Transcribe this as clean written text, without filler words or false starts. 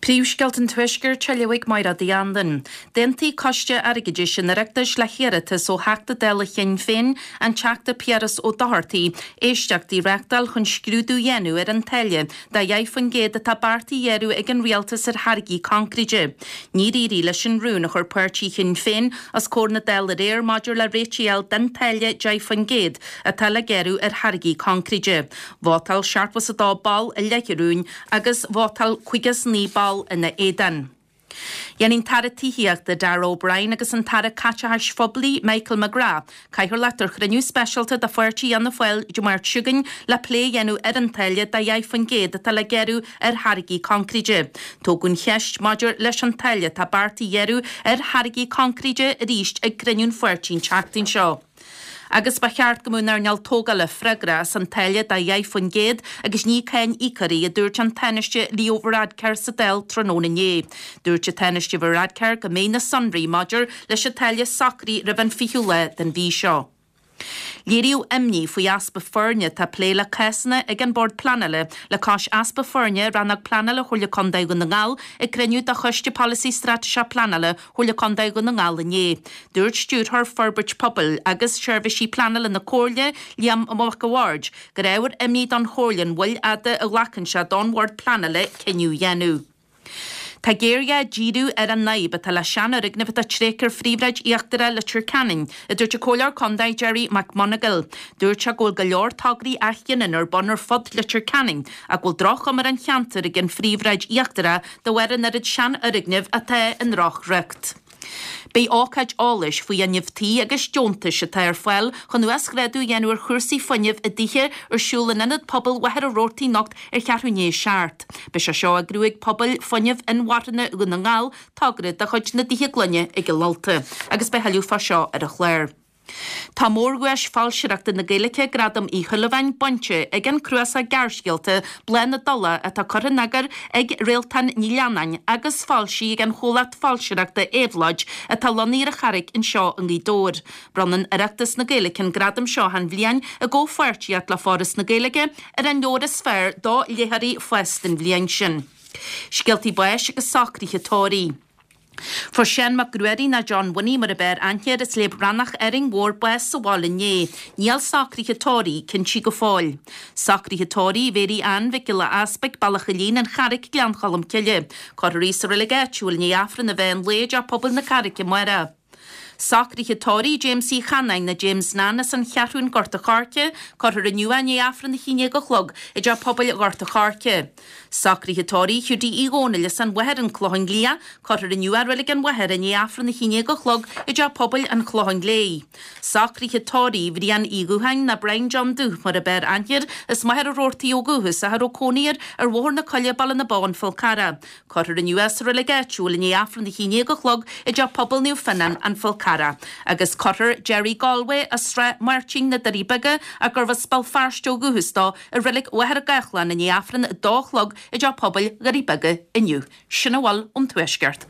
Príomhscéalta an Tuaiscirt á léamh ag Máire Uí Anluain. D'aontaigh Coiste Airgeadais an Oireachtais le hiarratas ó Theachta Dála Shinn Féin, an Teachta Piaras Ó Dochartaigh, éisteachtaí a reáchtáil chun scrúdú a dhéanamh ar an táille de 10% atá beartaithe a ghearradh ag an Rialtas ar tháirgí coincréite. Níor éirigh leis an rún a chuir páirtí Shinn Féin os comhair na Dála aréir maidir le réitigh a fháil don táille 10% atá le gearradh ar tháirgí coincréite. Vótáil 72 ball i leith an rúin agus vótáil 59 ball ina éadan. Dhéanfaidh an tAire Tithíochta Darragh O'Brien agus an tAire Caiteachais Phoiblí Michael McGrath cathaoirleacht ar chruinniú speisialta de pháirtí Fhianna Fáil Dé Máirt seo chugainn le plé a dhéanamh ar an táille de 10% atá le gearradh ar tháirgí coincréite. Tógadh an cheist maidir leis an táille atá beartaithe a ghearradh ar tháirgí coincréite arís ag cruinniú an pháirtí an tseachtain seo. Agus ba cheart go mbeadh an earnáil tógála freagrach as an táille de 10% agus ní cáin íocóirí, a dúirt an Tánaiste Leo Varadkar sa Dáil tráthnóna inné. Dúirt an Tánaiste Varadkar go mbeidh na sonraí maidir leis an táille socraithe roimh an 20ú lá den mhí seo. Léiríodh imní faoi easpa foirne atá ag plé le cásanna ag an Bord Pleanála le cois easpa foirne i Rannóg Pleanála Chomhairle Contae Dhún na nGall ag cruinniú de Choiste Polasaí Straitéiseach Pleanála Chomhairle Contae Dhún na nGall inné. Dúirt Stiúrthóir Forbairt Pobail agus Seirbhísí Pleanála na Comhairle, Liam Mac a' Bhaird, gur ábhar imní don Chomhairle an mhoill fhada a ghlacann sé don Bhord Pleanála cinneadh a dhéanamh. Tá géarghá díriú ar an fhadhb atá le seanfhoirgnimh atá tréigthe ar phríomhshráid íochtarach Leitir Ceanainn, a dúirt an Comhairleoir Contae Gerry McMonagall. Dúirt sé go bhfuil go leor tograí athghiniúna ar bun ar fud Leitir Ceanainn ach go bhfuil droch-chuma ar an cheantar ag an phríomhshráid íochtarach de bharr an oiread seanfhoirgneamh atá i ndrochriocht. Beidh ócáid eolais faoi fhuinneamh tí agus deontais atá ar fáil chun uasghrádú a dhéanamh ar chúrsaí fuinnimh i dtithe ar siúl in Ionad Pobail Mhachaire Rabhartaigh anocht ar cheathrú i ndiaidh a 7. Beidh sé seo á eagrú ag Pobail Fuinnimh Inmharthana Dhún na nGall, togra de chuid na dTithe Gloine i gCill Ulta, agus beidh thuilleadh fá seo ar an chlár. Tá mórdhuais foilsitheoireachta na Gaeilge, Gradam Uí Shúilleabháin, bainte ag an cnuasach gearrscéalta Bláth na dTulach atá curtha in eagar ag Réaltán Ní Leannáin agus foilsithe ag an chomhlacht foilsitheoireachta Éabhlóid atá lonnaithe ar an Charraig anseo i nGaoth Dobhair. Bronnann Oireachtas na Gaeilge an gradam seo achan bhliain i gcomhpháirtíocht le Foras na Gaeilge ar an leabhar is fearr do léitheoirí fásta an bhliain sin. Scéaltaí báis agus socruithe tórraimh. Fuair Seán Mac Ruairí nó John Winnie mar ab fhearr aithne air as Léim Rannach Árainn Mhór bás sa bhaile inné. Níl socruithe tórraimh cinnte go fóill. Socruithe tórraimh Mhéirí Ann Mhic Giolla Easpaig, Bealach a' Lín, An Charraic, Gleann Cholm Cille. Cuirfear í sa reilig áitiúil i ndiaidh Aifreann an mheán lae i dTeach Pobail na Carraice amárach. Socruithe tórraimh James Uí Chanáin nó James Nan as an Cheathrún Gort a' Choirce, cuirfear inniu é i ndiaidh Aifreann 11 a chlog i dTeach Pobail Ghort a' Choirce. Socruithe tórraimh Hiúdaí Uí Dhónaill as an Mhachaire An Clochán Liath, cuirfear inniu é i Reilig an Mhachaire i ndiaidh Aifreann 11 a chlog i dTeach Pobail an Chlocháin Léith. Socruithe tórraimh Bhriain Uí Dhútháin nó Brian John Dúth mar ab fhearr aithne air as Machaire Rabhartaigh ó dhúchas ach a raibh cónaí air ar Bhóthar na Coille Baile na Bó An Fál Carrach. Cuirfear inniu é sa reilig áitiúil i ndiaidh Aifreann 11 a chlog i dTeach Pobail Naomh Fionnán, An Fál Carrach. Agus cuirfear Gerry Galway as Srath Máirtín, Na Doirí Beaga, ach gurbh as Béal Feirste ó dhúchas dó, i reilig Mhachaire Gathlán i ndiaidh Aifreann 2 a chlog i dTeach Pobail Dhoirí Beaga inniu. Sin a bhfuil ón Tuaisceart.